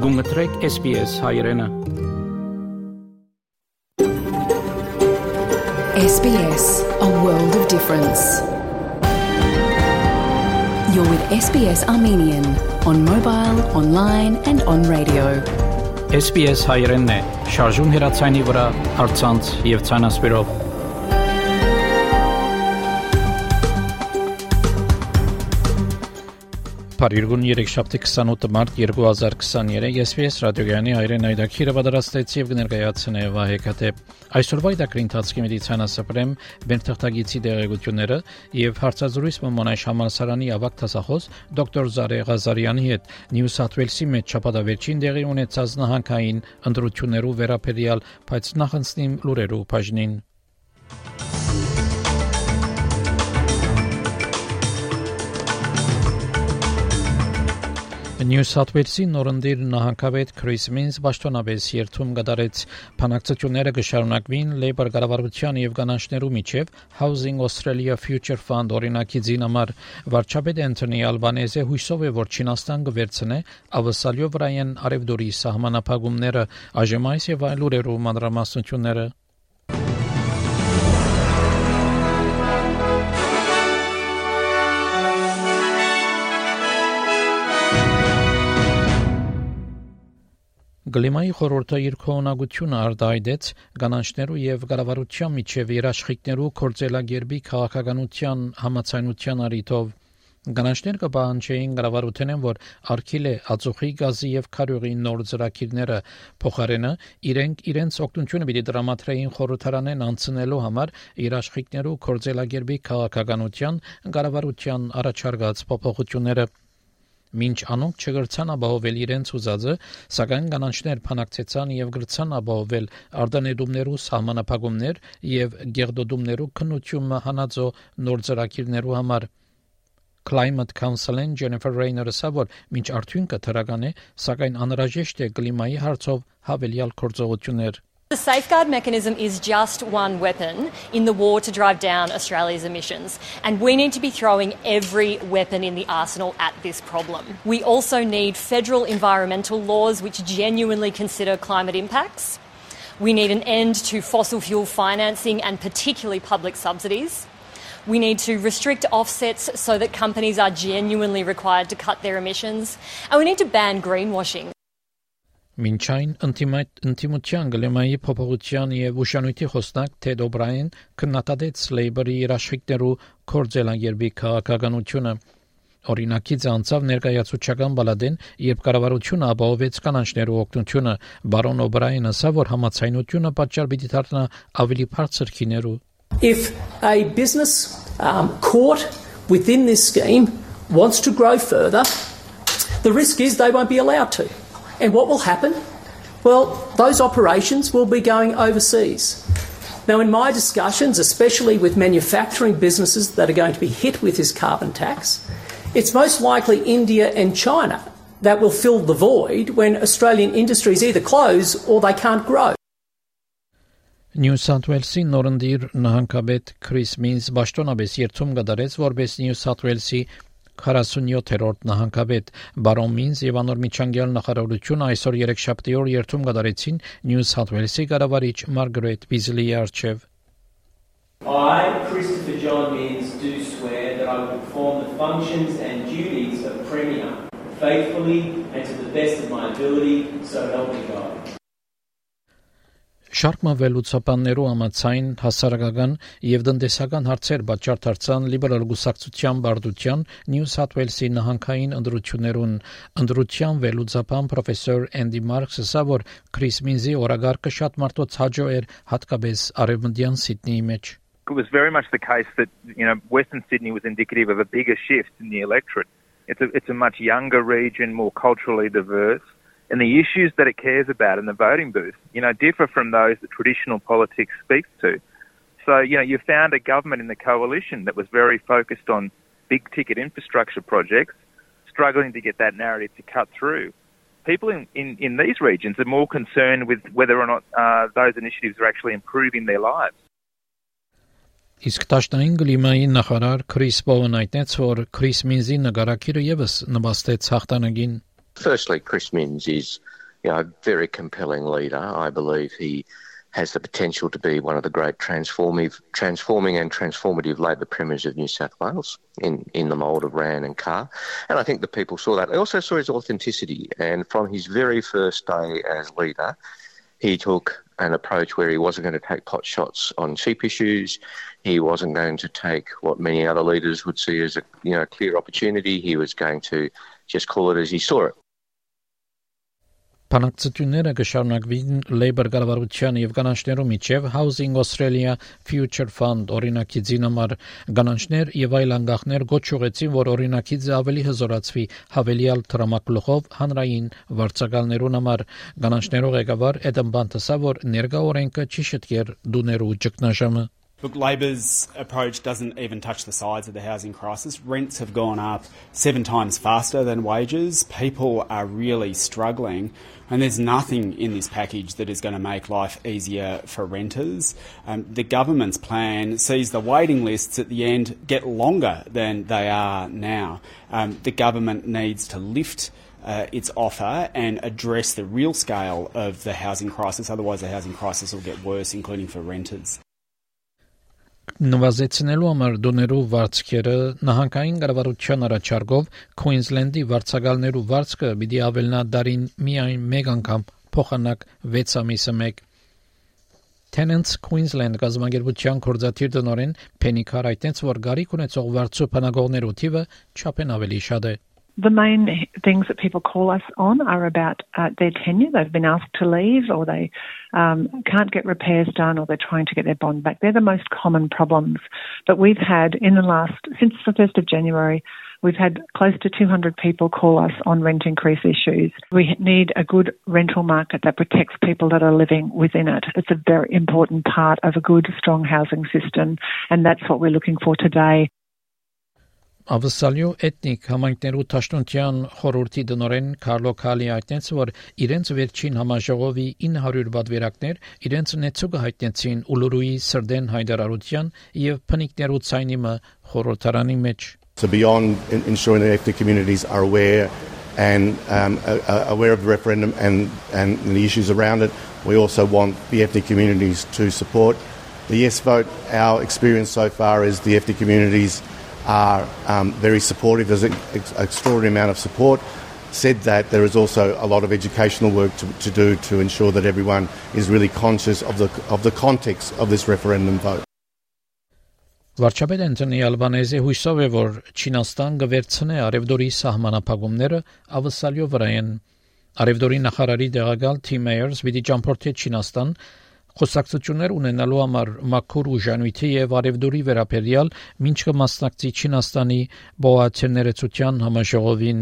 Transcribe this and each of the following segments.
Գումտրեք SBS հայրենը SBS, a world of difference. You're with SBS Armenian on mobile, online and on radio. SBS հայրենն է, շարժուն հեռացանի վրա, առցանց եւ ցանասպիրով։ Փարիգուն 3-7 մարտ 2023 SBS ռադիոգյանի հայրեն այդակիրը պատրաստեց եւ կներկայացնե Վահեկաթե այսօրվա այդակրի ընթացքի մեդիցինասապրեմ բերթախտագիցի դեղեցությունները եւ հարցազրույց մոնաշ համալսարանի ավագ դասախոս դոկտոր Զարե Ղազարյանի հետ Նյու Սաթ Ուելսի մեջ շաբաթավերջին դեղի ունեցած նահանգային ընտրություններու վերաբերյալ բայց նախընծնիմ լուրերու բաժնին Նյու Սաթ Ուելսի նորնդիր նահանգապետ Քրիս Մինս պաշտոնապես երթում կդարեց փանակցությունները կշարունակվին Labour կառավարության եւ կանանչներու միջև Housing Australia Future Fund օրինակի դինամար վարչապետ Անթոնի Ալբանեզը հույսով է որ Չինաստան կվերցնե ավսալյո վրայեն արևդուրի սահմանափակումները այժմ այս եւ այլ լուրերու մանրամասնությունները Գլիմայի խորհուրդը իր քողունակությունը արտահայտեց կանանչներու եւ կառավարության միջև երաշխիքներու կորձելագերբի քաղաքականության համացանության առիթով կանանչներ կպահանջեին կառավարութենեն որ արկիլե ածուխի գազի եւ քարյուղի նոր ծրագիրները փոխարենը իրենց օգնությունը պիտի դրամատրեին խորհրդարանեն անցնելու համար երաշխիքներու կորձելագերբի քաղաքականության կառավարության առաջարկած փոփոխությունները Մինչ անոնք չգրցան ապահովել իրենց ուզածը, սակայն կանանչներ փանակցեցան եւ գրցան ապահովել արտանետումներու սահմանափակումներ եւ գեղդոդումներու քննությունը հանածո նոր ծրագիրներու համար Climate Council-ն Jennifer Rayner-ը ասաց, մինչ արդյունքը թրական է, սակայն անհրաժեշտ է կլիմայի հարցով հավելյալ գործողություններ The safeguard mechanism is just one weapon in the war to drive down Australia's emissions, and we need to be throwing every weapon in the arsenal at this problem. We also need federal environmental laws which genuinely consider climate impacts. We need an end to fossil fuel financing and particularly public subsidies. We need to restrict offsets so that companies are genuinely required to cut their emissions, and we need to ban greenwashing. Մինչայն ինտիմության գլեմայի փոփոխության եւ ուշանույթի խոսնակ Թեդ Օբրաին քննադատեց Labour-ի երաշխիքներու կորձելագերբի քաղաքականությունը օրինակից անցավ ներկայացուցչական բալադեն երբ կառավարությունը ապահովեց կանանչներու օգնությունը բարոն Օբրայինը ասա որ համացայնությունը պատճառ պիտի դառնա ավելի բարձր քիներու If a business caught within this scheme wants to grow further the risk is they won't be allowed to And what will happen? Well, those operations will be going overseas. Now, in my discussions, especially with manufacturing businesses that are going to be hit with this carbon tax, it's most likely India and China that will fill the void when Australian industries either close or they can't grow. Նյու Սաթ Ուելսի նորնդիր նահանգապետ Քրիս Մինս պաշտոնապես երթում կդարեց որպես Նյու Սաթ Ուելսի 47-րդ նահանգապետ Բարոն Մինս եւ անոր միջանկյալ նախարարությունը այսօր 3-7 օր երթում կդարեցին Նյու Սաթ Ուելսի կառավարիչ Մարգարետ Բիզլիի առջև I, Christopher John Mins, do swear that I will perform the functions and duties of Premier faithfully and to the best of my ability, so help me God. Շարք մվելուցապաններու համացայն հասարակական եւ տնտեսական հարցեր պատճառ դարձան լիբերալ գուսակցության բարդության Նյու Սաթ Ուելսի նահանգային ընտրության վելուցապան պրոֆեսոր Էնդի Մարքսը ասա որ Քրիս Մինզի օրագարկը շատ մարդոց հաջող էր հատկապես արևմտյան Սիդնեի մեջ It was very much the case that Western Sydney was indicative of a bigger shift in the electorate. It's a much younger region, more culturally diverse. And the issues that it cares about in the voting booth, differ from those that traditional politics speaks to. So, you found a government in the coalition that was very focused on big-ticket infrastructure projects, struggling to get that narrative to cut through. People in these regions are more concerned with whether or not those initiatives are actually improving their lives. Իսկ տաշնային գլիմայի նախարար Քրիս Բոուն այդնեց, որ Քրիս Մինզի նկարակիրը եւս նպաստեց հաղթանակին. Firstly, Chris Minns is a very compelling leader. I believe he has the potential to be one of the great transforming and transformative Labor premiers of New South Wales in the mould of Rann and Carr. And I think the people saw that. They also saw his authenticity. And from his very first day as leader, he took an approach where he wasn't going to take pot shots on cheap issues. He wasn't going to take what many other leaders would see as a clear opportunity. He was going to just call it as he saw it. Բանակցությունները կշարունակվին Labour կառավարության եւ կանանչներու միջև Housing Australia Future Fund օրինակիցին համար կանանչներ եւ այլ անգախներ գոչ ուղեցին, որ օրինակիցը ավելի հզորացվի հավելյալ տրամակլուխով հանրային վարձակալներուն համար կանանչներու ղեկավար Էդեմ Բանտասա, որ ներկա օրենքը չի շտկեր դուներու ճգնաժամը. Look, Labor's approach doesn't even touch the sides of the housing crisis. Rents have gone up 7 times faster than wages. People are really struggling. And there's nothing in this package that is going to make life easier for renters. The government's plan sees the waiting lists at the end get longer than they are now. The government needs to lift its offer and address the real scale of the housing crisis. Otherwise, the housing crisis will get worse, including for renters. Նվազեցնելու համար դոներու վարձքերը նահանգային կառավարության առաջարկով Քուինզլենդի վարձակալներու վարձքը պիտի ավելնա դարին միայն մեկ անգամ փոխանակ 6 ամիսը մեկ. Tenants Queensland գազམ་ագերբության կորզաթիր տնօրեն Penny Carr այդտենց որ գարիք ունեցող վարձու փնագողներու թիվը չափեն ավելի շատ է. The main things that people call us on are about their tenure. They've been asked to leave, or they can't get repairs done, or they're trying to get their bond back. They're the most common problems. But we've had, since the 1st of January, we've had close to 200 people call us on rent increase issues. We need a good rental market that protects people that are living within it. It's a very important part of a good, strong housing system, and that's what we're looking for today. Ավսալյո էթնիկ համայնքներու Տաշտոնտյան խորհրդի դնորեն Կարլո Քալի այդտենց որ իրենց վերջին համաժողովի 900 բادվերակներ իրենց նեցուկը հայտնեցին Ուլուրուի Սրդեն հայդարարության եւ փնիկներու ցայնիմը խորհրդարանի մեջ. So beyond ensuring that ethnic communities are aware and aware of the referendum and the issues around it, we also want the ethnic communities to support the yes vote. Our experience so far is the ethnic communities are very supportive. There's an extraordinary amount of support. Said that, there is also a lot of educational work to do to ensure that everyone is really conscious of the context of this referendum vote. Վարչապետ Անտոնի Ալբանեզը հույսով է, որ Չինաստան կվերցնի Արևդորի սահմանափակումները ավսալյո վրա են. Արևդորի նախարարի դեղակալ Թիմ Մեյերս պիտի ճամփորդի Չինաստան խոսակցություններ ունենալու համար մաքուր ուժանույթի եւ Արևդորի վերաբերյալ մինչ կմասնակցի Չինաստանի բոհացիաներեցության համաժողովին.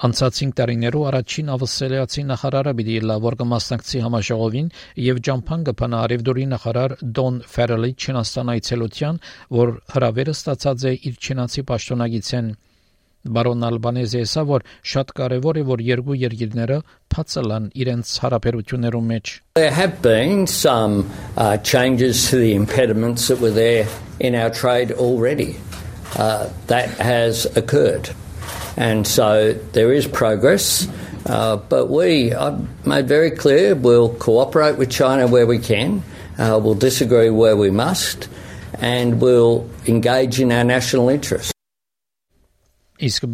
Անցած 5 տարիներու առաջին ավստրալիացի նախարարը պիտի լա որ կմասնակցի համաժողովին եւ ճամփան կփանա Արևդորի նախարար Դոն Ֆերելի Չինաստան այցելության, որ հրավերը ստացած է իր չինացի պաշտոնագիցեն. Բարոն Ալբանեզը ասա, որ շատ կարևոր է, որ երկու երկիրները փածալան իրենց հարաբերություններու մեջ. There have been some changes to the impediments that were there in our trade already. That has occurred. And so there is progress. But I've made very clear, we'll cooperate with China where we can. We'll disagree where we must. And we'll engage in our national interests. Իսկ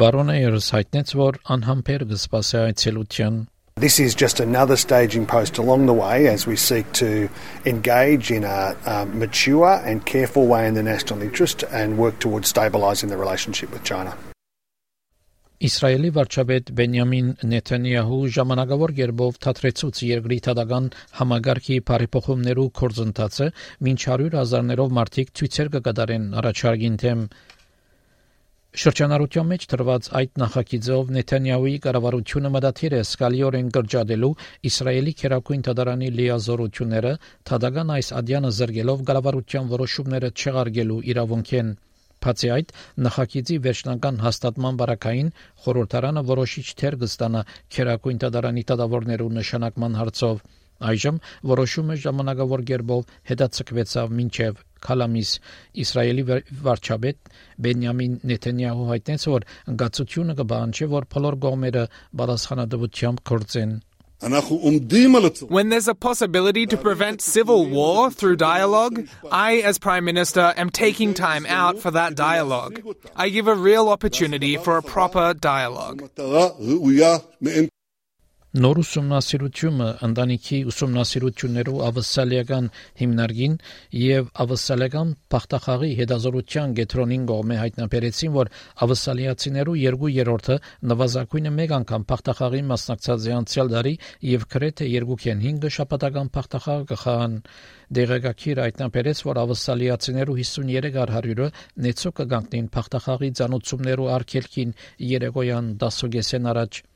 բարոնը երս հայտնեց, որ անհամբեր կսպասի այցելության. This is just another staging post along the way as we seek to engage in a mature and careful way in the national interest and work towards stabilising the relationship with China. Իսրայելի վարչապետ Բենյամին Նեթանյահու ժամանակավոր գերբով թատրեցուց երկրի թադական համագարքի բարեփոխումներու կորձընթացը, մինչ 100,000-ներով մարդիկ ցույցեր կկատարեն առաջարկին թեմ. Շրջանառության մեջ տրված այդ նախագիծով Նեթանյահուի կառավարությունը մտադիր է սկալիորեն կրճատելու Իսրայելի քերակույն թադարանի լիազորությունները, թադական այս ադյանը զրկելով կառավարության որոշումները չեղարկելու իրավունքեն. Բացի այդ, նախագիծի վերջնական հաստատման բարակային խորհրդարանը որոշիչ թեր կստանա քերակույն թադարանի դատավորներու նշանակման հարցով. Այժմ որոշումը ժամանակավոր գերբով հետաձգվեցավ մինչև Քալամիս Իսրայելի վարչապետ Բենյամին Նեթանյահու հայտնեց, որ գացությունը կբանջի, որ բոլոր կողմերը պատասխանատվությամբ գործեն. When there's a possibility to prevent civil war through dialogue, I, as Prime Minister, am taking time out for that dialogue. I give a real opportunity for a proper dialogue. Նոր ուսումնասիրությունը ընտանիքի ուսումնասիրություններու ավսալիական հիմնարկին եւ ավսալական բախտախաղի հետազոտության կենտրոնին կողմէ հայտնաբերեցին, որ ավսալիացիներու 2/3-ը նվազագույնը մեկ անգամ բախտախաղի մասնակցած է անցյալ տարի եւ գրեթե 2/5 շաբաթական բախտախաղ կխաղան։ Դեղեկագիրը հայտնաբերեց, որ ավսալիացիներու 53%-ը նեցո կգանքնին բախտախաղի ցանուցումներու արգելքին երեկոյան 10:30 առաջ։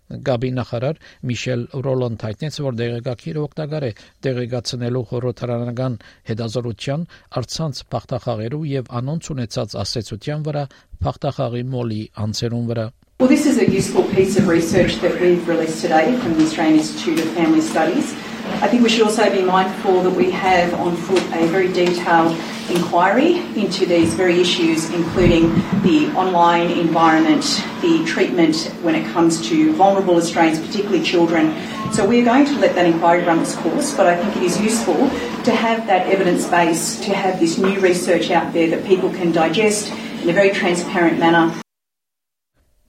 Գաբի նախարար Միշել Ռոլանդ հայտնեց, որ դեղեկագիրը օգտակար է դեղեկացնելու խորհրդարանական հետազոտության առցանց բախտախաղերու եւ անոնց ունեցած ասացության վրա բախտախաղի մոլի անձերուն վրա. Well, this is a useful piece of research that we've released today from the Australian Institute of Family Studies. I think we should also be mindful that we have on foot a very detailed inquiry into these very issues, including the online environment, the treatment when it comes to vulnerable Australians, particularly children. So we're going to let that inquiry run its course, but I think it is useful to have that evidence base, to have this new research out there that people can digest in a very transparent manner.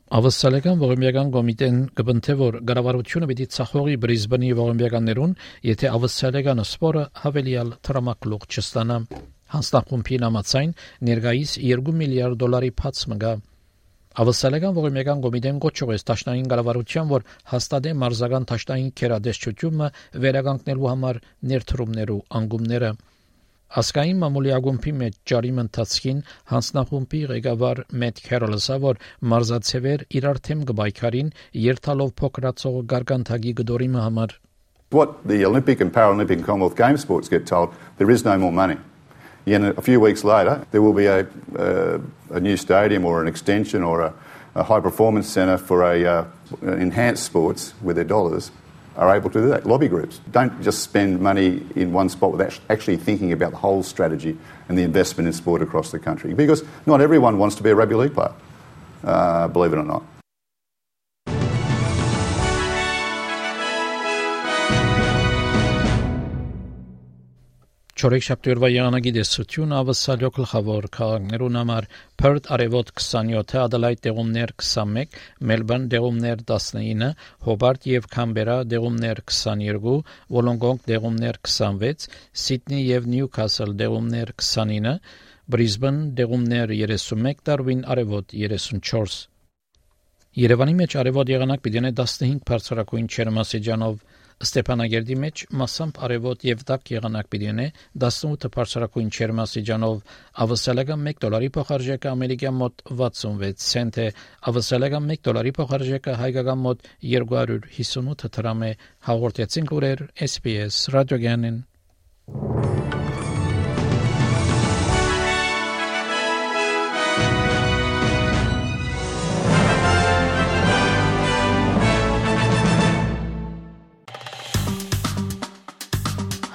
Ավսալական ողորմյական կոմիտեն կբնթե, որ կառավարությունը պիտի ցախողի Բրիզբենի ողորմյականներուն, եթե ավսալական սպորը հավելյալ տրամակլուղ չստանա։ Հանձնախումբի համաձայն ներկայիս $2 միլիարդ փած մգա։ Ավսալական ողորմյական կոմիտեն կոչողեց Դաշնային կառավարության, որ հաստատե մարզական Դաշնային քերադեսչությունը վերականգնելու համար ներդրումներու անգումները։ Ասկային մամուլի ագումբի մեջ ճարիմ ընթացքին հանձնախումբի ղեկավար Մեթ Քերոլսը, որ մարզացևեր իրար թեմ կբայքարին երթալով փոքրացող գարգանթագի գդորիմը համար. What the Olympic and Paralympic and Commonwealth Games sports get told, there is no more money. And a few weeks later, there will be a new stadium or an extension or a high performance centre for enhanced sports with their dollars. Are able to do that. Lobby groups don't just spend money in one spot without actually thinking about the whole strategy and the investment in sport across the country. Because not everyone wants to be a rugby league player, believe it or not. Չորեքշաբթի եղանակի դեսություն ավսալյո գլխավոր քաղաքներուն համար Perth արևոտ 27, Adelaide դեղումներ 21, Melbourne դեղումներ 19, Hobart եւ Canberra դեղումներ 22, Wollongong դեղումներ 26, Sydney եւ Newcastle դեղումներ 29, Brisbane դեղումներ 31, Darwin արևոտ 34։ Երևանի մեջ արևոտ եղանակ պիտի ունենա 15 բարձրակույն ջերմաստիճանով, Ստեփանագերդի մեջ մասամբ արևոտ եւ տաք եղանակ պիտի ունենա 18 բարձրակույն ջերմաստիճանով, ավսալական $1 փոխարժեքը ամերիկյան մոտ 66 سنت է, ավսալական $1 փոխարժեքը հայկական մոտ 258 դրամ է։ Հաղորդեցին լուրեր SPS ռադիոգյանին։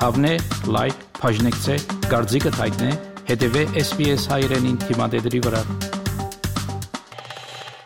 Հավնե, լայք, բաժնեկցե, դարձիկը թայտնե, հետևե SPS հայրենին թիմադեդրի վրա։